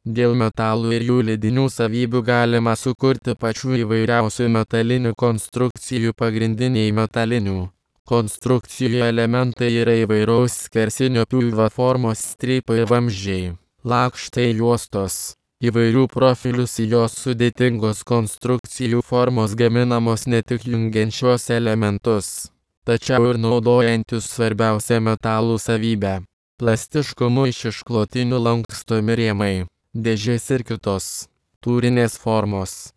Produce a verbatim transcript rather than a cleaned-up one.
Dėl metalų ir jų lydinių savybių galima sukurti pačių įvairiausių metalinių konstrukcijų. Pagrindiniai metalinių konstrukcijų elementai yra įvairaus skersinio pjūvio formos strypai ir vamzdžiai, lakštai, juostos. Įvairių profilių sijos sudėtingos konstrukcijų formos gaminamos ne tik jungiant šios elementus, tačiau ir naudojantis svarbiausią metalų savybę – plastiškumu. Iš išklotinių lankstomi rėmai, dėžės ir kitos tūrinės formos.